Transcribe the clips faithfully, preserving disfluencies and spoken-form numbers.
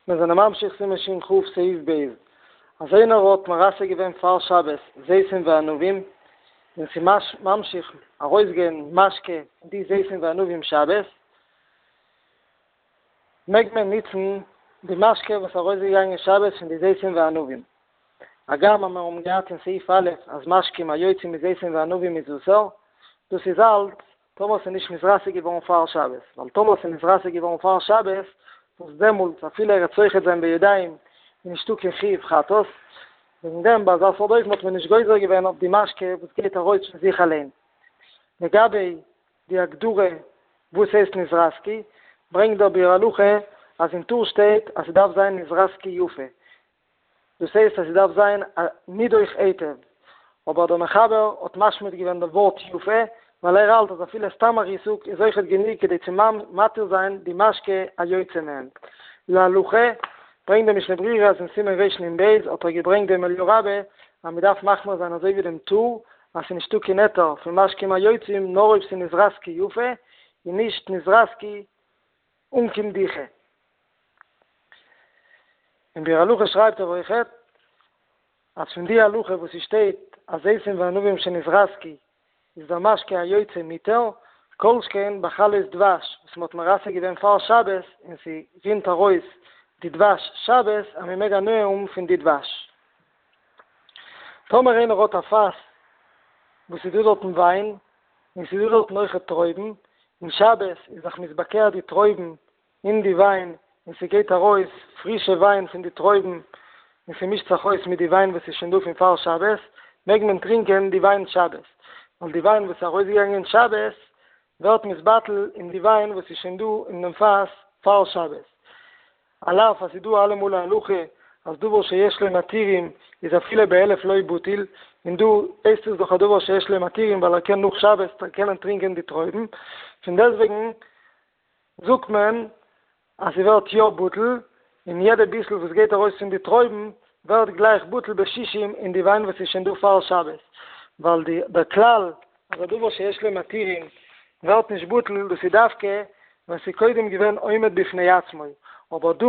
מיר זענען ממשיך סימן שכ סעיף ב', אז איינער האט מרסק געווען פאר שבת זיתים וענבים, און ס'איז ממשיך ארויסגיין משקה פון די זיתים וענבים שבת, מעג מען ניצן די משקה וואס איז ארויסגעגאנגען שבת פון די זיתים וענבים. הגם אז מיר האבן געהאט אין סעיף א' אז משקים היוצאים מזיתים וענבים איז אסור, דאס איז אלץ טאמער ס'איז נישט נתרסק געווארן פאר שבת, ווייל טאמער ס'איז נתרסק געווארן פאר שבת, וואס דעמאלטס אפילו ער וועט סוחט זיין בידיים איז נישטא קיין חיוב חטאת, וועגן דעם ביי אזא סארט אופן האט מען נישט גוזר געווען אויף די משקה וואס גייט ארויס פון זיך אליין. לגבי די הגדרה וואס הייסט נתרסקו, ברענגט דער ביאור הלכה אז אין טור שטייט אז ס'דארף זיין נתרסקו יפה, דאס הייסט אז ס'דארף זיין א נידוך היטב, אבער דער מחבר האט משמיט געווען דעם ווארט יפה, ווייל ער האלט אז אפילו סתם א ריסוק איז אויכעט גענוג כדי צו מתיר זיין די משקה היוצא מהם. להלכה, ברענגט דער משנה ברורה אז אין סימן רנ"ב האט ער געברענגט דעם אליהו רבה אז מ'דארף מחמיר זיין אזוי ווי דעם טור אז ס'איז נישטא קיין היתר פון משקים היוצאים נאר אויב ס'איז נתרסקו יפה און נישט נתרסקו אן קיין דיחה. אין ביאור הלכה שרייבט ער אויכעט אז פון די הלכה וואס ס'שטייט אז זיתים וענבים שנתרסקו איז דער משקה היוצא מותר, כל שכן בחלות דבש וואס מ'האט מרסק געווען פאר שבת און ס'רינט ארויס די דבש שבת אז מ'מעג הנאה האבן פון די דבש. טאמער איינער האט א פאס וואס איז דא דארטן וויין און ס'איז דא דארטן אויכעט טרויבן, און שבת איז זיך מתבקע די טרויבן אין די וויין און ס'גייט ארויס פרישע וויין פון די טרויבן און ס'מישט זיך אויס מיט די וויין וואס איז שוין דא פון פאר שבת, מעג מען טרינקען די וויין שבת, ווייל די וויין וואס איז ארויסגעגאנגען שבת ווערט נתבטל אין די וויין וואס איז שוין דא אין דעם פאס פאר שבת. על אף אז ס'איז דא אלעמאל א הלכה אז דבר שיש לו מתירים איז אפילו באלף לא בטיל, און דא הייסט עס דאך א דבר שיש לו מתירים ווייל ער קען נאך שבת קענען טרינקען די טרויבן, פון דעסטוועגן זאגט מען אז ס'ווערט יא בטל, און יעדע ביסל וואס גייט ארויס פון די טרויבן ווערט גלייך בטל בשישים אין די וויין וואס איז שוין דא פאר שבת, ווייל די דער כלל אז א דבר שיש לו מתירים ווערט נישט בטל דאס איז דווקא ווען ס'איז קודם געווען עומד בפני עצמו, אבער דא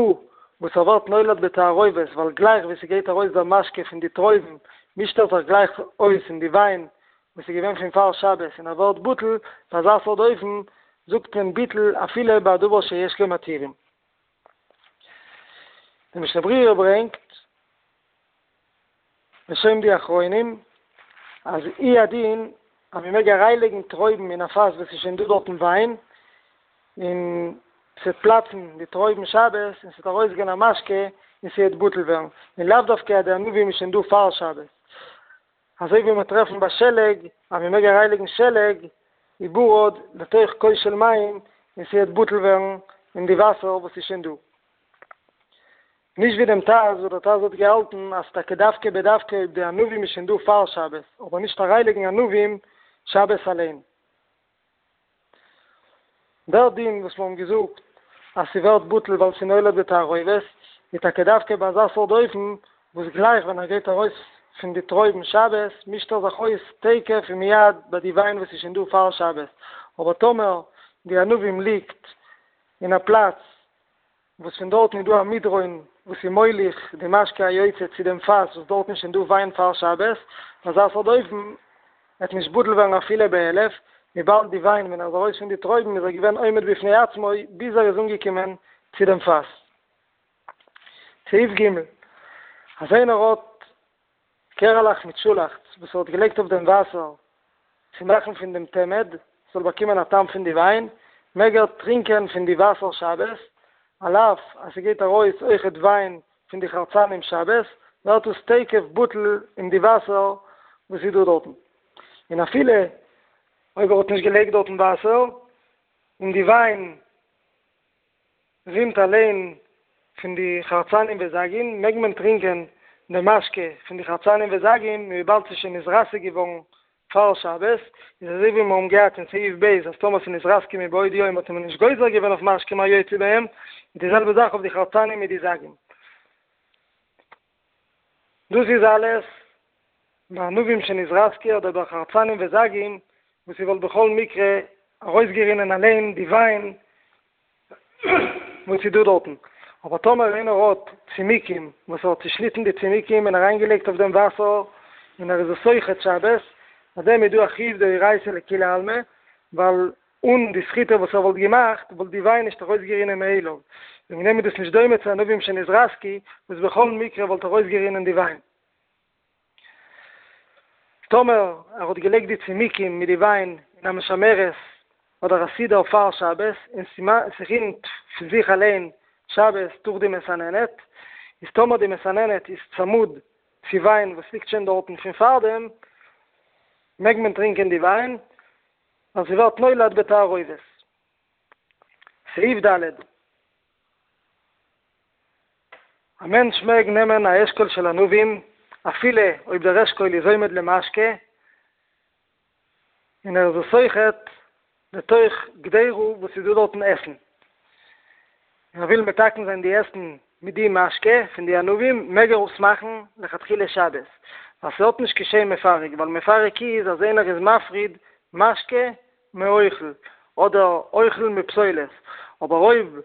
וואס ער ווערט נולד בתערובת ווייל גלייך ווי ס'גייט ארויס דער משקה פון די טרויבן מישט ער זיך גלייך אויס אין די וויין וואס איז געווען פון פאר שבת און ער ווערט בטל, ביי אזא סארט אופן זאגט מען ביטול אפילו ביי א דבר שיש לו מתירים. די משנה ברורה ברענגט בשם די אחרונים אז הוא הדין אז מען מעג אריינלייגן טרויבן אין א פאס וואס איז שוין דא דארטן וויין און ס'וועט פלאצן די טרויבן שבת און ס'וועט ארויסגיין א משקה און ס'וועט בטל ווערן, און לאו דווקא אז די ענבים איז שוין דא פאר שבת. אזוי ווי מיר טרעפן ביי שלג אז מען מעג אריינלייגן שלג וברד לתוך כוס של מים און ס'וועט בטל ווערן אין די וואסער וואס איז שוין דא. נישט ווי דעם ט"ז וואס דער ט"ז האט געהאלטן אז טאקע דווקא בדווקא אויב די ענבים איז שוין דא פאר שבת אבער נישט אריינלייגן ענבים שבת אליין. דער דין וואס מיר האבן געזאגט אז ס'ווערט בטל ווייל ס'איז נולד בתערובת, איז טאקע דווקא ביי אזא סארט אופן וואס גלייך ווען ער גייט ארויס פון די טרויבן שבת מישט ער זיך אויס תיכף ומיד ביי די וויין וואס איז שוין דא פאר שבת, אבער טאמער די ענבים ליגט אין א פלאץ וואס פון דארטן איז דא א מדרון וואס איז מוליך די משקה היוצא צו דעם פאס וואס דארטן איז שוין דא וויין פאר שבת, ביי אזא סארט אופן וועט נישט בטל ווערן אפילו באלף, וויבאלד די וויין ווען ער איז ארויס פון די טרויבן איז ער געווען עומד בפני עצמו ביז ער איז אנגעקומען צו דעם פאס. סעיף ג', אז איינער האט קערעלעך מיט שאלאכץ וואס ער האט געלייגט אויף דעם וואסער צו מאכן פון דעם תמד ס'זאל באקומען א טעם פון די וויין, מעג ער טרינקען פון די וואסער שבת, על אף אז ס'גייט ארויס אויכעט וויין פון די חרצנים שבת, ווערט עס תיכף בטל אין די וואסער וואס איז דא דארטן. און אפילו אויב ער האט נישט געלייגט דארטן וואסער, און די וויין רינט אליין פון די חרצנים וזגין, מעג מען טרינקען די משקה פון די חרצנים וזגין, וויבאלד ס'איז שוין נתרסק געווארן פאר שבת, איז אזוי ווי מיר האבן געהאט אין סעיף ב' אז טאמער ס'איז נתרסקו מבעוד יום האט מען נישט גוזר געווען אויף משקים היוצא בהם, איז די זעלבע זאך אויף די חרצנים מיט די זגין. דאס איז אלעס בענבים שנתרסקו אדער ביי חרצנים וזגים וואס ס'וואלט בכל מקרה ארויסגערינען אליין די וויין וואס איז דא דארטן, אבער טאמער איינער האט צימיקים וואס ער האט צושניטן די צימיקים און אריינגעלייגט אויף דעם וואסער און ער איז עס סוחט שבת, ביי דעם איז דא א חיוב דאורייתא לכולי עלמא, ווייל אן די סחיטה וואס ער וואלט געמאכט וואלט די וויין נישט ארויסגערינען מאליו, וועגן דעם איז דאס נישט דומה צו ענבים שנתרסקו וואס בכל מקרה וואלט ארויסגערינען די וויין. טאמער ער האט געלייגט די צימיקים מיט די וויין אין א משמרת אדער א סידור פאר שבת און ס'רינט פון זיך אליין שבת דורך די מסננת, איז טאמער די מסננת איז צמוד צו וויין וואס ליגט שוין דארטן פון פארדעם, מעג מען טרינקען די וויין, ווייל ס'ווערט נולד בתערובת. סעיף ד'. א מענטש מעג נעמען א אשכול של ענבים אפילו אויב דער אשכול איז עומד למשקה, און ער איז עס סוחט לתוך קדירה וואס איז דא דארטן עסן, און ער וויל מתקן זיין די עסן מיט די משקה פון די ענבים, מעג ער עס מאכן לכתחילה שבת, ווייל ס'האט נישט קיין שם מפרק, ווייל מפרק איז אז איינער איז מפריד משקה מאוכל, אדער אוכל מפסולת, אבער אויב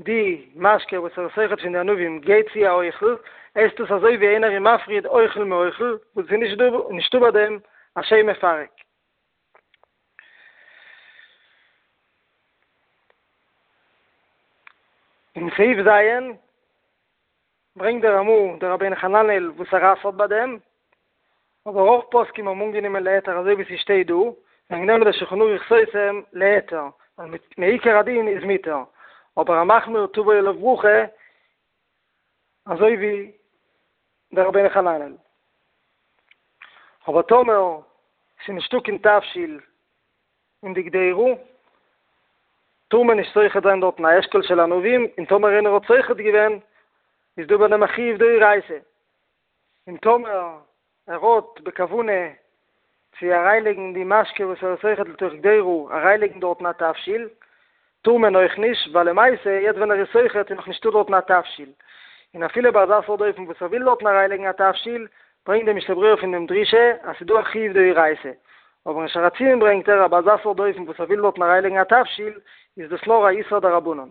די משקה וואס ער איז סוחט פון די ענבים גייט צו א אוכל, הייסט עס אזוי ווי איינער איז מפריד אוכל מאוכל, וואס איז נישט דא נישטא ביי דעם א שם מפרק. אין סעיף ז' ברענגט דער רמ"א דער רבינו חננאל וואס ער אסר'ט ביי דעם, אבער רוב פוסקים האבן אנגענומען להיתר אזוי ווי ס'שטייט דא, וועגן דעם איז דער שולחן ערוך סותם להיתר, ווייל מעיקר הדין איז מותר, אבער המחמיר תבוא עליו ברכה אזוי ווי דער רבינו חננאל. אבער טאמער ס'איז נישטא קיין תבשיל אין די קדירה, טאר מען נישט סוחט זיין דארטן א אשכול של ענבים, און טאמער איינער האט סוחט געווען, איז דא ביי דעם א חיוב דאורייתא. און טאמער ער האט בכוונה צו אריינלייגן די משקה וואס ער איז סוחט לתוך קדירה, אריינלייגן דארטן א תבשיל, טאר מען אויך נישט, ווייל למעשה יעצט ווען ער איז סוחט איז נאך נישטא דארטן א תבשיל, און אפילו ביי אזא סארט אופן וואס ער וויל דארטן אריינלייגן א תבשיל, ברענגט די משנה ברורה פון דעם דרישה אז ס'איז דא א חיוב דאורייתא, אבער אין שער הציון ברענגט ער אז ביי אזא סארט אופן וואס ער וויל דארטן אריינלייגן א תבשיל, איז דאס נאר א איסור דרבנן.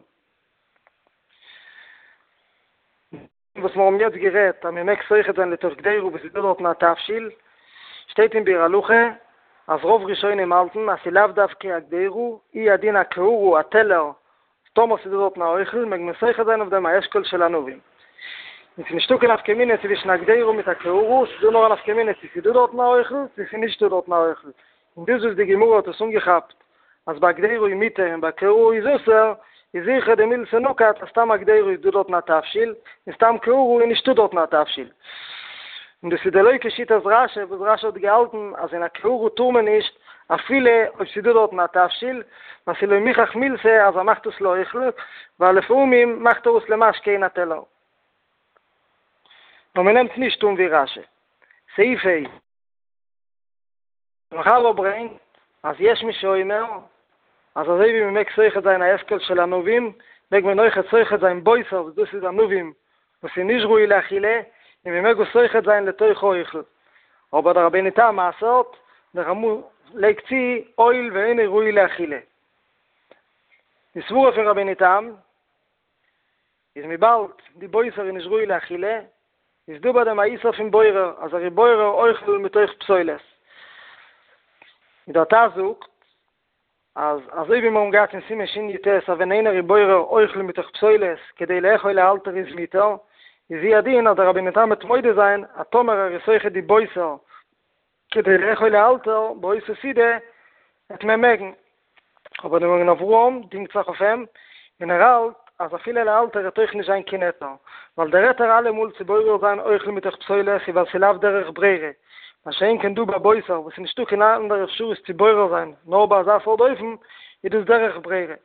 וואס מיר האבן יעצט גערעדט אז מען מעג סוחט זיין לתוך קדירה וואס איז דא דארטן א תבשיל, שטייט אין ביאור הלכה אז רוב ראשונים האלטן אז ס'איז לאו דווקא א קדירה, הוא הדין א קערה א טעלער, טאמער ס'איז דא דארטן א אוכל מעג מען סוחט זיין אויף דעם א אשכול של ענבים. און ס'איז נישטא קיין נפקא מינה צווישן א קדירה מיט א קערה, ס'איז דא נאר א נפקא מינה צו ס'איז דא דארטן א אוכל צו ס'איז נישטא דארטן א אוכל, און דאס וואס די גמרא האט עס אנגעכאפט אז ביי קדירה איז מותר און ביי קערה איז אסור, איז זיכער דמילתא נקט אז סתם א קדירה איז דא דארטן א תבשיל, און סתם קערה איז נישטא דארטן א תבשיל. און דאס איז דלא כשיטת רש"י וואס רש"י האט געהאלטן אז אין א קערה טאר מען נישט אפילו אויב ס'איז דא דארטן א תבשיל, ווייל ס'איז לא מוכח מילתא אז ער מאכט עס לאוכל, ווייל לפעמים מאכט ער עס למשקה אין א טעלער. נאר מ'נעמט נישט אן ווי רש"י. סעיף ה'. מחבר ברענגט אז יש מי שאומר אז אזוי ווי מען מעג סוחט זיין א אשכול של ענבים מעג מען אויכעט סוחט זיין בוסר וואס דאס איז ענבים וואס איז נישט ראוי לאכילה און מען מעג עס סוחט זיין לתוך האוכל אבער דער רבינו תם אסר'ט דער רמ"א לייגט צו הואיל ואינו ראוי לאכילה די סברה פון רבינו תם איז וויבאלד די בוסר איז נישט ראוי לאכילה, איז דא ביי דעם א איסור פון בורר, אז ער איז בורר אוכל מתוך פסולת. און דער ט"ז זאגט, אז אזוי ווי מיר האבן געהאט אין סימן שי"ט אז ווען איינער איז בורר אוכל מתוך פסולת כדי לאכול לאלתר איז מותר, איז הוא הדין אז דער רבינו תם וועט מודה זיין אז טאמער ער איז סוחט די בוסר כדי לאכול לאלתר באותה סעודה וועט מען מעגן, אבער דער מגן אברהם דינגט זיך אויף אים, און ער האלט אז אפילו לאלתר וועט אויך נישט זיין קיין היתר, ווייל דער היתר אלעמאל צו בורר זיין אוכל מתוך פסולת איז ווייל ס'איז לאו דרך ברירה, מה שאין כן דא ביי בוסר וואס איז נישטא קיין אנדערע אפשרות צו בורר זיין נאר ביי אזא סארט אופן, איז דאס דרך ברירה.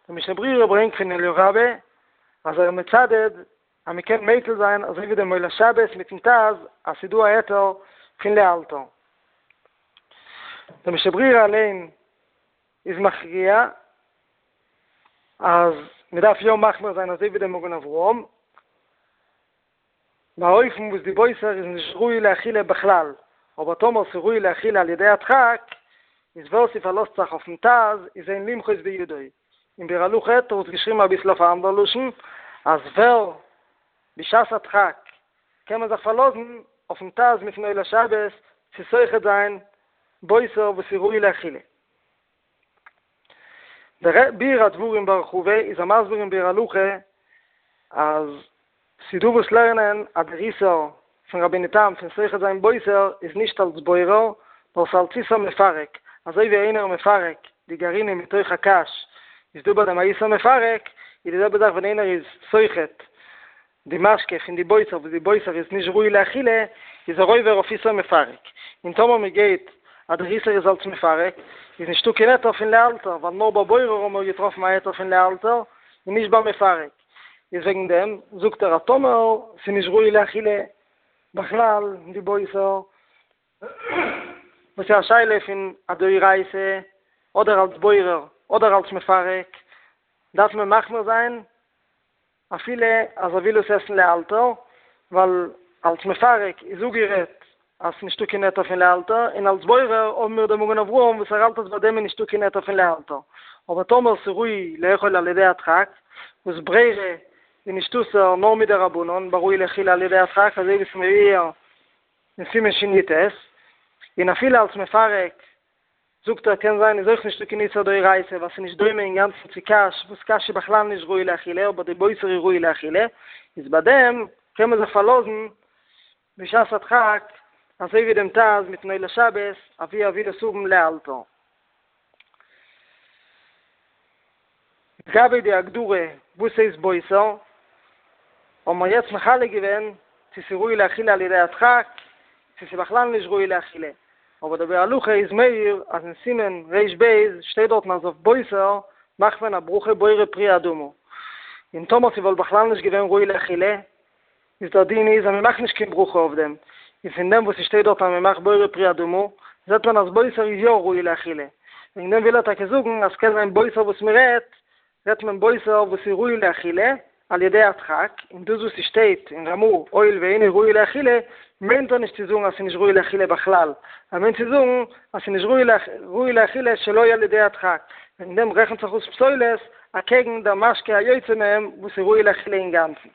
דער משנה ברורה ברענגט פון אליהו רבה אז ער איז מצדד אז מען קען מיקל זיין אזוי ווי דער מולא שבת מיטן ט"ז אז ס'איז דא א היתר פון לאלתר. דער משנה ברורה אליין איז מכריע אז מען דארף יא מחמיר זיין אזוי ווי דער מגן אברהם, ביי אופן וואס די בוסר איז נישט ראוי לאכילה בכלל, אבער טאמער ס'איז ראוי לאכילה על ידי הדחק, איז ווער ס'פארלאזט זיך אויפן ט"ז איז אין למחוז בידו. אין ביאור הלכה האט ער עס געשריבן אביסל אויף א אנדער לשון, אז ווער בשעת הדחק קען מען זיך פארלאזן אויפן ט"ז מיטן עולת שבת צו סוחט זיין בוסר וואס איז ראוי לאכילה. דער ביאור הדברים בהרחבה איז ער מסביר אין ביאור הלכה אז ס'איז דא וואס לערנען אז דער איסור פון רבינו תם פון סוחט זיין בוסר איז נישט אלס בורר, נאר ס'אלס איסור מפרק, אזוי ווי איינער מפרק די גרעינים מתוך הקש איז דא ביי דעם א איסור מפרק, איז די זעלבע זאך ווען איינער איז סוחט די משקה פון די בוסר וואס די בוסר איז נישט ראוי לאכילה, איז ער עובר אויף איסור מפרק, און טאמער מען גייט אז דער איסור איז אלס מפרק, איז נישטא קיין היתר פון לאלתר, ווייל נאר ביי בורר האבן מיר געטראפן א היתר פון לאלתר, און נישט ביי מפרק. איז וועגן דעם זאגט ער אז טאמער ס'איז נישט ראוי לאכילה בכלל די בוסר, וואס איז א שאלה פון א דאורייתא, אדער אלס בורר אדער אלס מפרק, דארף מען מחמיר זיין אפילו אז ער וויל עס עסן לאלתר, ווייל אלס מפרק איז אפגערעדט אז ס'נישטא קיין היתר פון לאלתר, און אלס בורר האבן מיר דעם מגן אברהם וואס ער האלט אז ביי דעם איז נישטא קיין היתר פון לאלתר. אבער טאמער ס'ראוי לאכול על ידי הדחק, וואס ברירה איז נישט אסור נאר מדרבנן בראוי לאכילה על ידי הדחק, אזוי ווי ס'מבואר אין סימן שי"ט, און אפילו אלס מפרק זאגט ער קען זיין איז אויך נישטא קיין איסור דאורייתא ווייל ס'איז נישט דומה אינגאנצן צו קש וואס קש איז בכלל נישט ראוי לאכילה אבער די בוסר איז ראוי לאכילה, איז ביי דעם קען מען זיך פארלאזן בשעת הדחק אזוי ווי דעם ט"ז מיטן עולת שבת אבי ער וויל עס האבן לאלתר. לגבי די הגדרה וואס הייסט בוסר, האבן מיר יעצט מחלק געווען צו ס'איז ראוי לאכילה על ידי הדחק, צו ס'איז בכלל נישט ראוי לאכילה, אבער דער ביאור הלכה איז מעיר אז אין סימן רי"ב שטייט דארטן אז אויף בוסר מאכט מען א ברכה בורא פרי האדמה, און טאמער ס'וואלט בכלל נישט געווען ראוי לאכילה, איז דער דין איז אז מ'מאכט נישט קיין ברכה אויף דעם, און פון דעם וואס ס'שטייט דארט אז מ'מאכט בורא פרי האדמה, זעט מען אז בוסר איז יא ראוי לאכילה, וועגן דעם וויל ער טאקע זאגן אז ס'קען זיין בוסר וואס מ'רעדט, רעדט מען בוסר וואס איז ראוי לאכילה על ידי הדחק, און דאס וואס ס'שטייט אין רמ"א הואיל ואינו ראוי לאכילה, מיינט ער נישט צו זאגן אז ס'איז נישט ראוי לאכילה בכלל, ער מיינט צו זאגן אז ס'איז נישט ראוי לאכילה שלא על ידי הדחק, וועגן דעם רעכנט זיך אויס פסולת אקעגן דער משקה היוצא מהם וואס איז ראוי לאכילה אינגאנצן.